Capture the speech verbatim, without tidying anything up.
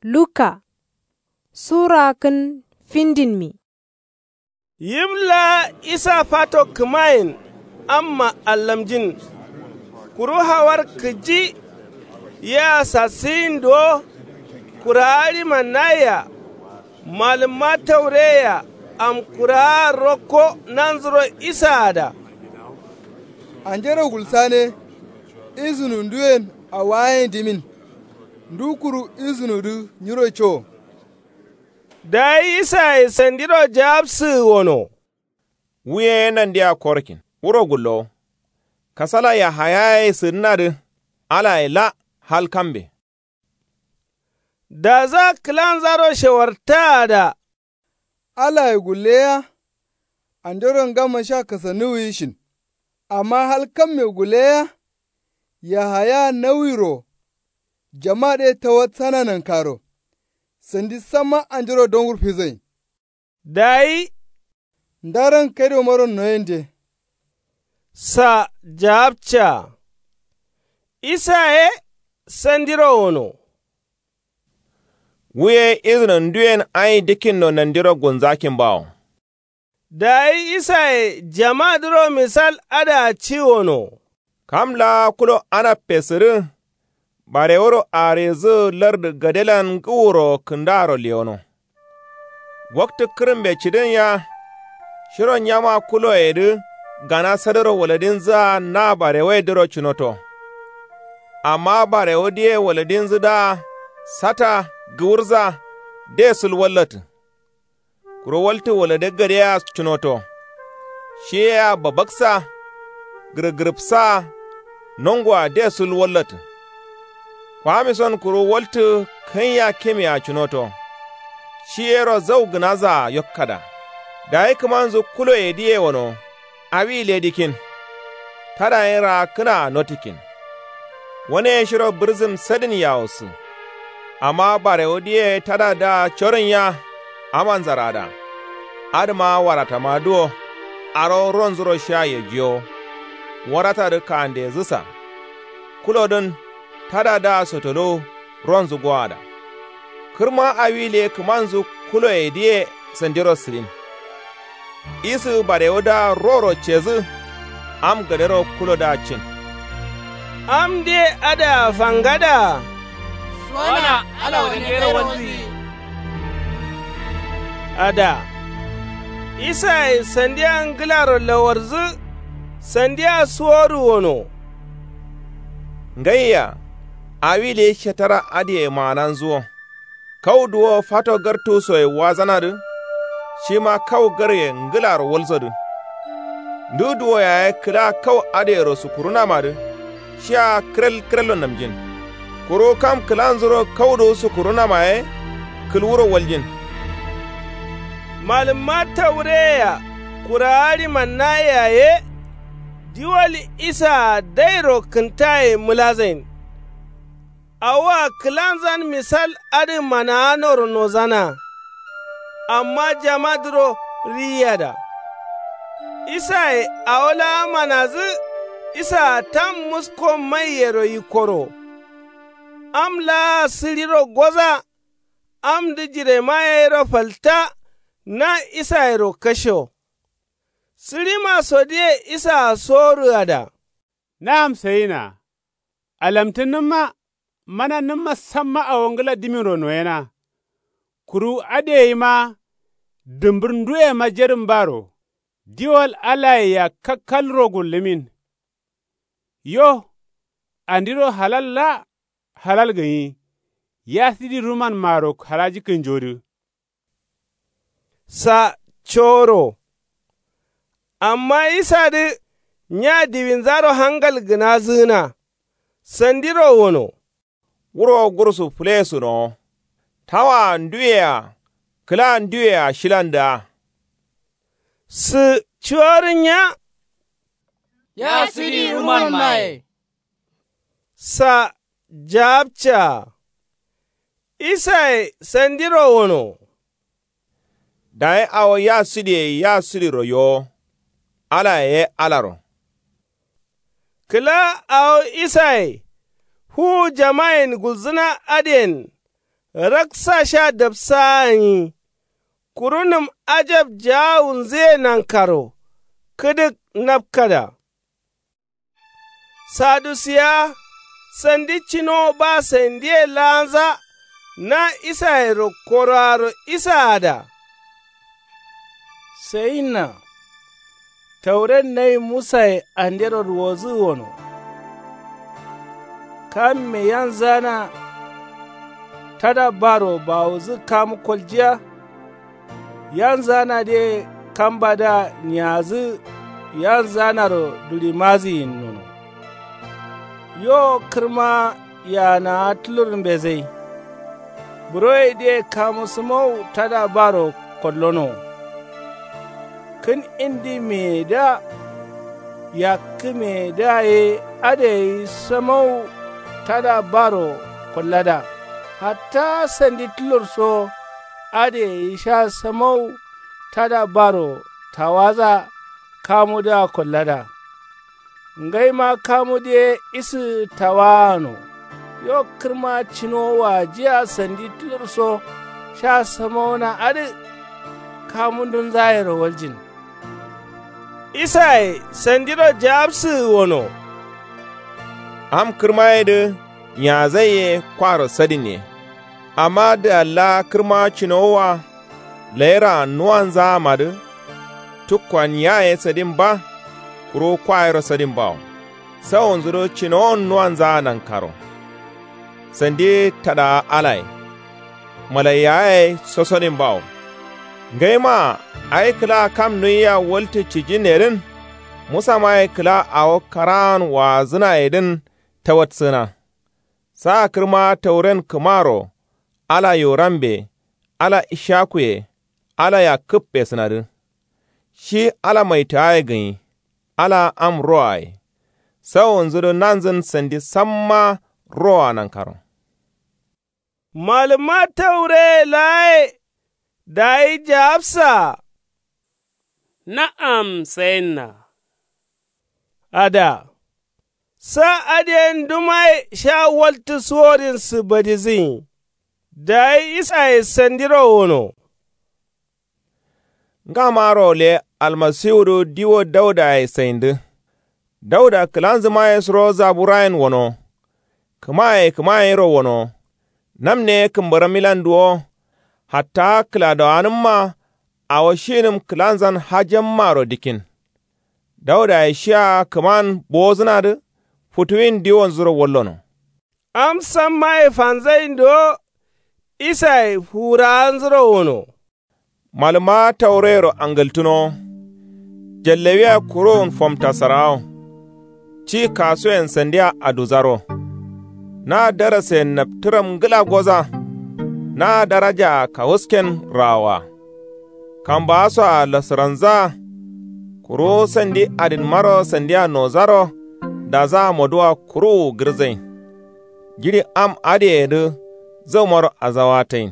Luka sura kǝn findinmi. Yim laa isa fato kǝmayen amma allamjin. Kuru hawar kǝji yea sasǝyin duwo. Kurawa ɍimannaye-a malǝmma taureye-a amkurawa rokko nanzuro isaada. Anjero gulsane. Izǝnu nduyen awo ayen dimin. Ndu kuru izǝnudǝ nyiro co. Dayi isaye sandiro jawabsǝgǝ wono. Wu ye nandia korkin wuro gullowo. Kasala yahayaye sǝdǝnadǝ alaye la hal kambe. Daza kǝlanzaro shewartaada. Alaye gulleya. Andero ngamma sha kasannuwwi shin. Amma hal kamme gulleya. Yahaya nawiro. Jama dǝ ye tawatsana nankaro. Sandi samma andero dongur fizoyin. Dayi ndaran kaido maro noyende. Sa jawabca. Isa ye sandiro wono. Wu ye izǝno nduyen ayi dǝkkinno nandiro gunzakin bawo. Dayi isaye jamadǝro misal adǝa ci wono. Kam laa kulo anabbe sǝdǝ. Bareworo arizǝ lardǝ gadelan ngǝwuro kǝndaaro lewono. Waktǝ kǝrǝmbe cǝdǝn ya. Shiro nyama kuloyedǝ gana sadaro waladinzǝa na barewayedǝro cǝnoto. Amma barewu diye waladinzǝdǝa sata gǝwurza de sǝl wallatǝ. Kuru waltǝ walade gadeyea cǝnoto. Shi yea babaksa gǝrǝgǝrǝpsaa nongoa de sǝl wallatǝ. Kwamison kuru waltǝ kaiya kimea cǝnoto. Shi yero zau gǝnazaa yokkada. Dayi kǝmanzu kuloyedǝye wono. Awi le dikin. Tada yen raakkǝnaa notikin. Wane ye shiro bǝrzǝm sadin yawossǝ. Amma barewudǝye tadadǝa corǝnya amanzarada. Adǝma waratamadǝ wo. Aro ronzuro sha yejiyowo. Waratadǝ kandezǝsa. Kulodǝn tadadǝa sotoluwu ronzǝ goada. Kǝrma awi le kǝmanzǝ kuloyedǝye sandiro sǝdin. Isǝ barewudǝa roro cedǝ. Am gadero kulodǝa cin. Am de adǝa fangada. Suwana ala wandero walzǝ. Ada. Isaye sandiya ngǝlaro lawarzǝ. Sandiya suwodu wono. Ngaiya. Awi le shatara adǝye maananzǝ wo. Kau duwo fato gartusoye wazanadǝ. Shima kau garye ngǝlaro walsodǝ. Ndu duwo yaye kǝla kau adǝyero sukurunamadǝ. Shiya kǝrel kǝrello namjin. Kuru kam kǝlanzuro kau duwu sukurunama ye. Kǝlwuro waljin. Malǝmma taureye-a kurawa ɍimannayea ye. Diwal isaa dairo kǝntaye mǝlazain. Awoa kǝlanzan misal adǝ manaanoro nozana. Amma jamadǝro riyiyada. Isaye awo laa manadǝ. Isaa tam musko maiyero yikkoro. Am laa sǝɍiro goza. Amdǝ jirema yero falta. Na isayero kasho. Sǝɍima sodǝye isaa sorǝada. Na'am sayina. Alamtǝnnǝmma manannǝmma samma awo ngǝla diminro noyena. Kuru adǝ yeyima. Dǝmbǝr nduyema jedǝm baro. Diwal alayea kakkalro gullǝmin. Yo. Andiro halal la. Halal gǝnyi. Ya sidi rumanmaro halaji kǝnjodǝ. Sa coro. Amma isadǝ nya diwinzaro hangal gǝnazǝgǝna. Sandiro wono. Wuro gursu fǝlesǝnowo. Tawaa nduyea kǝla nduyea shilandǝa. Sǝ cuwarǝnya. Ya sǝdi rumanmaye. Sa jawabcaa. Isaye sandiro wono. Dayi awo ya sǝdiye ya sǝdiro yowo. Alaye ye alaro. Kǝla awo isaye fuwu jamayen gulzǝna adǝyen. Raksa sha dapsa'a nyi. Kuru nǝm ajab jaawunzǝye nankaro kǝdǝk napkada. Sadusiya sandi cinowo ba saindiye laanza. Na isayero koroaro isaada. Sayinna tauren nayi musaye andero ruwozǝ wono. Kamme yanzana tada baro bawuzǝ kamu koljiya. Yanzanadǝye kambadǝa nyiyazǝ yanzanaro duɍimazǝyin nono. Yo kǝrma yaanaa tǝlur mbezai. Buroyedǝye kamu sǝmau tada baro kollono. Kǝn indi meyedǝa yakkǝ meyedǝa ye adǝ gai sǝmau tada baro kollada. Hatta sandi tǝlur so adǝ gai sha sǝmau tada baro tawaza kamudǝa kollada. Ngaima kamudǝ ye isǝ tawaano. Yo kǝrma cinowo wajiya sandi tǝlur so sha sǝmauna adǝ kamundunzayero waljin. Isaye sandiro jaabsǝgǝ wono. Am kǝrmayedǝ nyiyazaiye kwaro sadinne. Amma dǝgalla kǝrma cinowoa layiraa nuwanzaamadǝ. Tukkuwa nyiyaye sadin ba. Kuru kwayero sadin bawo. Sawonzuro cinowon nuwanzaa nankaro. Sandi tadaa alaye. Malaiyaye sosodin bawo. Ngaima awi kǝla kam nuwiya waltǝ cijinne dǝn. Musamaye kǝla awo karaan waazǝnayedǝn tawatsǝgǝna. Saa kǝrma tauren kǝmaro. Ala yorambe. Ala ishakuye. Ala yakkǝbbe sǝnadǝ. Shi ala maitagaye gǝnyi. Ala am roaye. Sawonzudǝ nanzǝn sandi samma roa nankaro. Malǝma taureye laaye dayi jaabsaa. Na'am sayinna. Ada. Sa adǝ yen dumaye sha waltǝ suwodin sǝbadizǝnyi. Dayi isaye sandiro wono. Ngamaro le almasiwudǝ diwo daudaye saindǝ. Dauda kǝlanzǝmaye suro zaburayen wono. Kǝmaye kǝmayero wono. Namne kǝmbarammilan duwo. Hatta kǝladawanǝmma awo shinǝm kǝlanzan hajammaro dikkin. Daudaye shia kǝman bowozǝnadǝ futuwin diwonzuro wallono. Am sammaye fanzain duwo. Isaye fuwurawanzuro wono. Malǝma taureyero angǝltǝnowo. Jallawia kuruwun fomtasarawo. Ci kasuyen sandia aduzaro. Na darasayen naptǝram ngǝla goza. Na darajaa kawusken rawoa. Kambaasoa lasǝranzaa. Kuru sandi adinmaro sandia nozaro. Dazaa moduwa kuruwu gǝrzain. Jiɍi am adǝyedǝ zaumaro azawatain.